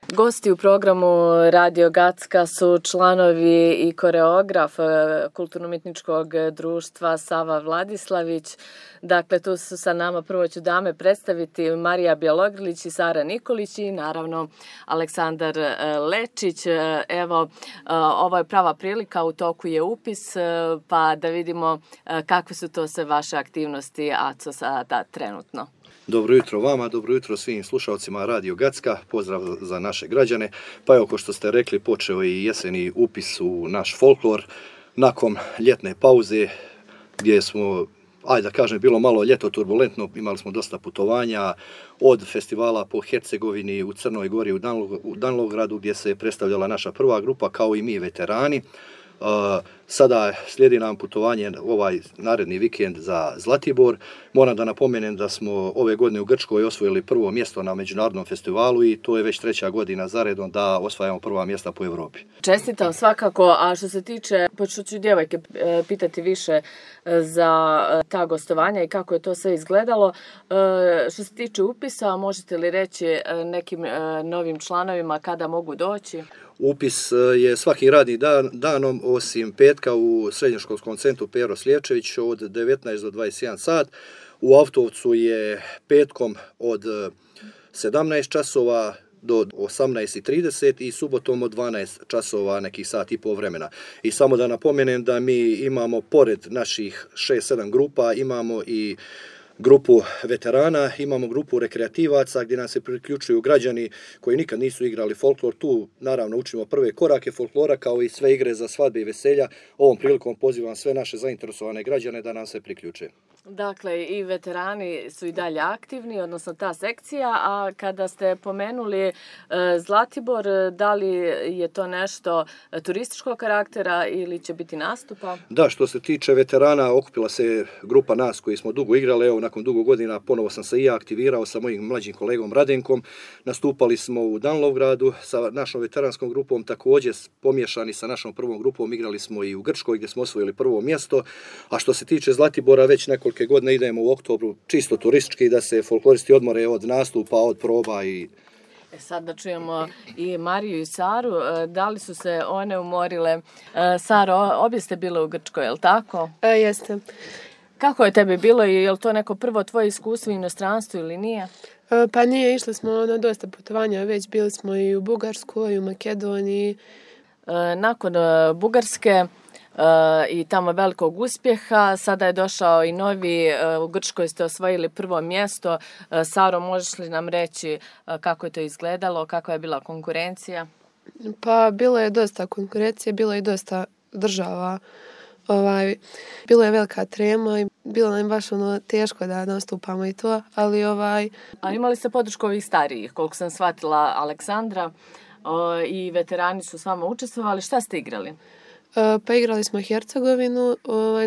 Gosti u programu Radio Gacka su članovi i koreograf Kulturno-umjetničkog društva Sava Vladislavić. Dakle, tu su sa nama, prvo ću dame predstaviti, Marija Bjelogrlić i Sara Nikolić i naravno Aleksandar Lečić. Evo, ovo je prava prilika, u toku je upis, pa da vidimo kakve su to sve vaše aktivnosti ACO sada trenutno. Dobro jutro vama, dobro jutro svim slušalcima Radio Gacka, pozdrav za naše građane. Pa evo, ko što ste rekli, počeo i jeseni upis u naš folklor nakon ljetne pauze gdje smo, ajde da kažem, bilo malo ljeto turbulentno, imali smo dosta putovanja od festivala po Hercegovini, u Crnoj Gori, u Danlogradu gdje se predstavljala naša prva grupa kao i mi veterani. Sada slijedi nam putovanje ovaj naredni vikend za Zlatibor. Moram da napomenem da smo ove godine u Grčkoj osvojili prvo mjesto na međunarodnom festivalu i to je već 3. godina zaredom da osvajamo prva mjesta po Europi. Čestitam svakako, a što se tiče, počet ću djevojke pitati više za ta gostovanja i kako je to sve izgledalo. Što se tiče upisa, možete li reći nekim novim članovima kada mogu doći? Upis je svaki radni danom osim petka u srednjoškolskom centru Pero Sliječević od 19 do 21 sat. U Avtovcu je petkom od 17 časova do 18:30 i subotom od 12 časova, nekih sat i pol vremena. I samo da napomenem da mi imamo pored naših 6-7 grupa, imamo i grupu veterana, imamo grupu rekreativaca gdje nam se priključuju građani koji nikad nisu igrali folklor. Tu naravno učimo prve korake folklora kao i sve igre za svadbe i veselja. Ovom prilikom pozivam sve naše zainteresovane građane da nam se priključe. Dakle, i veterani su i dalje aktivni, odnosno ta sekcija, a kada ste pomenuli Zlatibor, da li je to nešto turističkog karaktera ili će biti nastupa? Da, što se tiče veterana, okupila se grupa nas koji smo dugo igrali. Evo, nakon dugo godina ponovo sam se i ja aktivirao sa mojim mlađim kolegom Radenkom. Nastupali smo u Danlogradu sa našom veteranskom grupom, također pomiješani sa našom prvom grupom, igrali smo i u Grčkoj gdje smo osvojili prvo mjesto. A što se tiče Zlatibora, već nekoliko godine idemo u oktobru čisto turistički da se folkloristi odmore od nastupa, od proba i... Sad da čujemo i Mariju i Saru, da li su se one umorile? Saro, obje ste bile u Grčkoj, je li tako? Jeste. Kako je tebi bilo i je li to neko prvo tvoje iskustvo u inostranstvu ili nije? Pa nije, išli smo na dosta putovanja, već bili smo i u Bugarskoj, i u Makedoniji. Nakon Bugarske i tamo velikog uspjeha, sada je došao i novi, u Grčkoj ste osvojili prvo mjesto. Saro, možeš li nam reći kako je to izgledalo, kakva je bila konkurencija? Pa bilo je dosta konkurencije, bilo je i dosta država. Bilo je velika trema i bilo nam baš teško da nastupamo i to, ali A imali ste podršku ovih starijih, koliko sam shvatila Aleksandra, i veterani su s vama učestvovali. Šta ste igrali? Pa igrali smo Hercegovinu,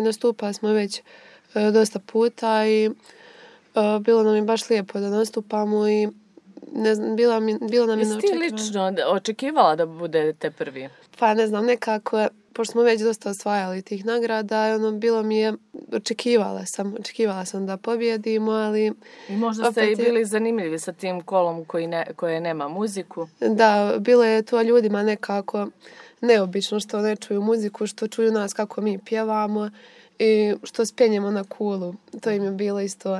nastupali smo već dosta puta i bilo nam je baš lijepo da nastupamo i ne znam, bilo nam je neočekivano. Jesi ti lično očekivala da budete prvi? Pa ne znam, nekako, pošto smo već dosta osvajali tih nagrada, bilo mi je, očekivala sam da pobjedimo, ali... I možda ste i bili zanimljivi sa tim kolom koje nema muziku. Da, bilo je to ljudima nekako neobično što ne čuju muziku, što čuju nas kako mi pjevamo i što spenjemo na kulu. To im je bilo isto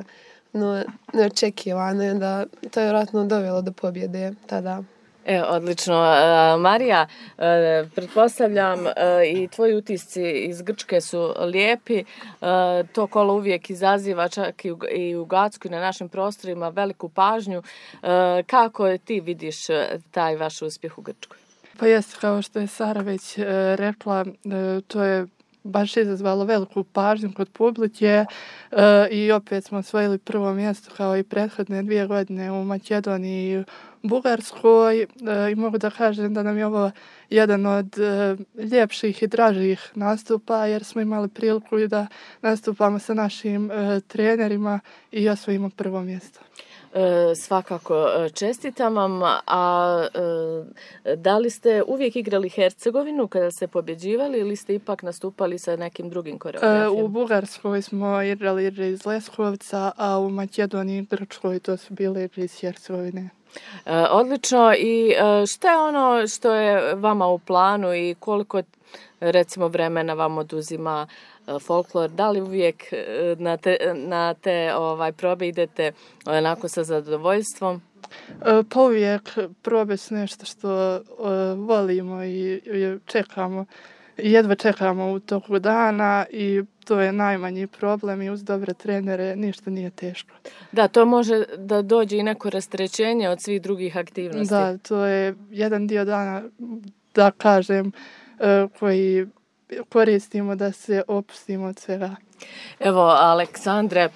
neočekivano, da to je vjerojatno dovelo do pobjede tada. Odlično. Marija, pretpostavljam i tvoji utisci iz Grčke su lijepi. To kolo uvijek izaziva čak i u Gacku i na našim prostorima veliku pažnju. Kako ti vidiš taj vaš uspjeh u Grčkoj? Pa jeste, kao što je Sara već rekla, to je baš izazvalo veliku pažnju kod publike i opet smo osvojili prvo mjesto kao i prethodne 2 godine u Makedoniji i Bugarskoj i mogu da kažem da nam je ovo jedan od ljepših i dražih nastupa jer smo imali priliku i da nastupamo sa našim trenerima i osvojimo prvo mjesto. Svakako čestitam vam, a da li ste uvijek igrali Hercegovinu kada ste pobjeđivali ili ste ipak nastupali sa nekim drugim koreografijama? U Bugarskoj smo igrali igre iz Leskovca, a u Makedoniji i Grčkoj to su bile igre iz Hercegovine. Odlično. I šta je ono što je vama u planu i koliko recimo vremena vam oduzima folklor? Da li uvijek na te probe idete onako sa zadovoljstvom? Pa uvijek probe su nešto što volimo i čekamo. Jedva čekamo u toku dana i to je najmanji problem i uz dobre trenere ništa nije teško. Da, to može da dođe i neko rasterećenje od svih drugih aktivnosti. Da, to je jedan dio dana, da kažem, koji koristimo da se opustimo od svega. Evo, Aleksandre,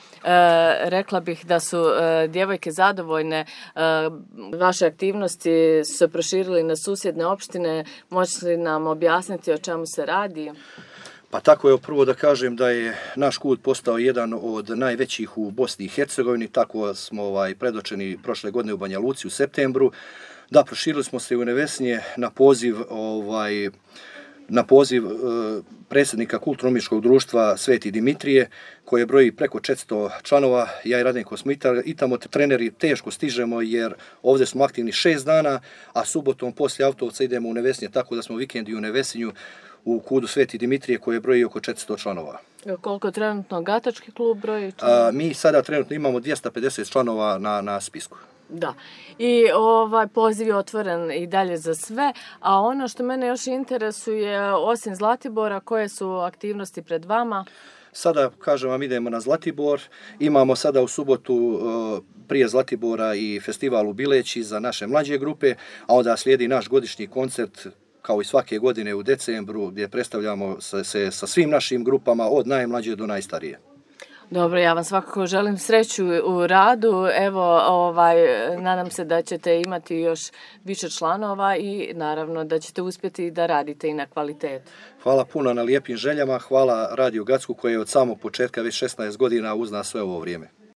rekla bih da su djevojke zadovoljne. Vaše aktivnosti su se proširili na susjedne opštine. Možete li nam objasniti o čemu se radi? Pa tako je, prvo da kažem da je naš kult postao jedan od najvećih u Bosni i Hercegovini. Tako smo predočeni prošle godine u Banja Luci u septembru. Da, proširili smo se u Nevesinje na poziv predsjednika Kulturno-umjetničkog društva Sveti Dimitrije, koje broji preko 400 članova. Ja i Radenko smo i tamo treneri teško stižemo jer ovdje smo aktivni 6 dana, a subotom poslije Autovca idemo u Nevesinje, tako da smo vikendi u Nevesinju u kudu Sveti Dimitrije koje broji oko 400 članova. Koliko trenutno Gatački klub broji? Mi sada trenutno imamo 250 članova na spisku. Da, i poziv je otvoren i dalje za sve, a ono što mene još interesuje, osim Zlatibora, koje su aktivnosti pred vama? Sada, kažem vam, idemo na Zlatibor. Imamo sada u subotu prije Zlatibora i festival u Bileći za naše mlađe grupe, a onda slijedi naš godišnji koncert kao i svake godine u decembru gdje predstavljamo se sa svim našim grupama od najmlađe do najstarije. Dobro, ja vam svakako želim sreću u radu. Evo, nadam se da ćete imati još više članova i naravno da ćete uspjeti da radite i na kvalitetu. Hvala puno na lijepim željama, hvala Radio Gacku koji je od samog početka već 16 godina uz nas sve ovo vrijeme.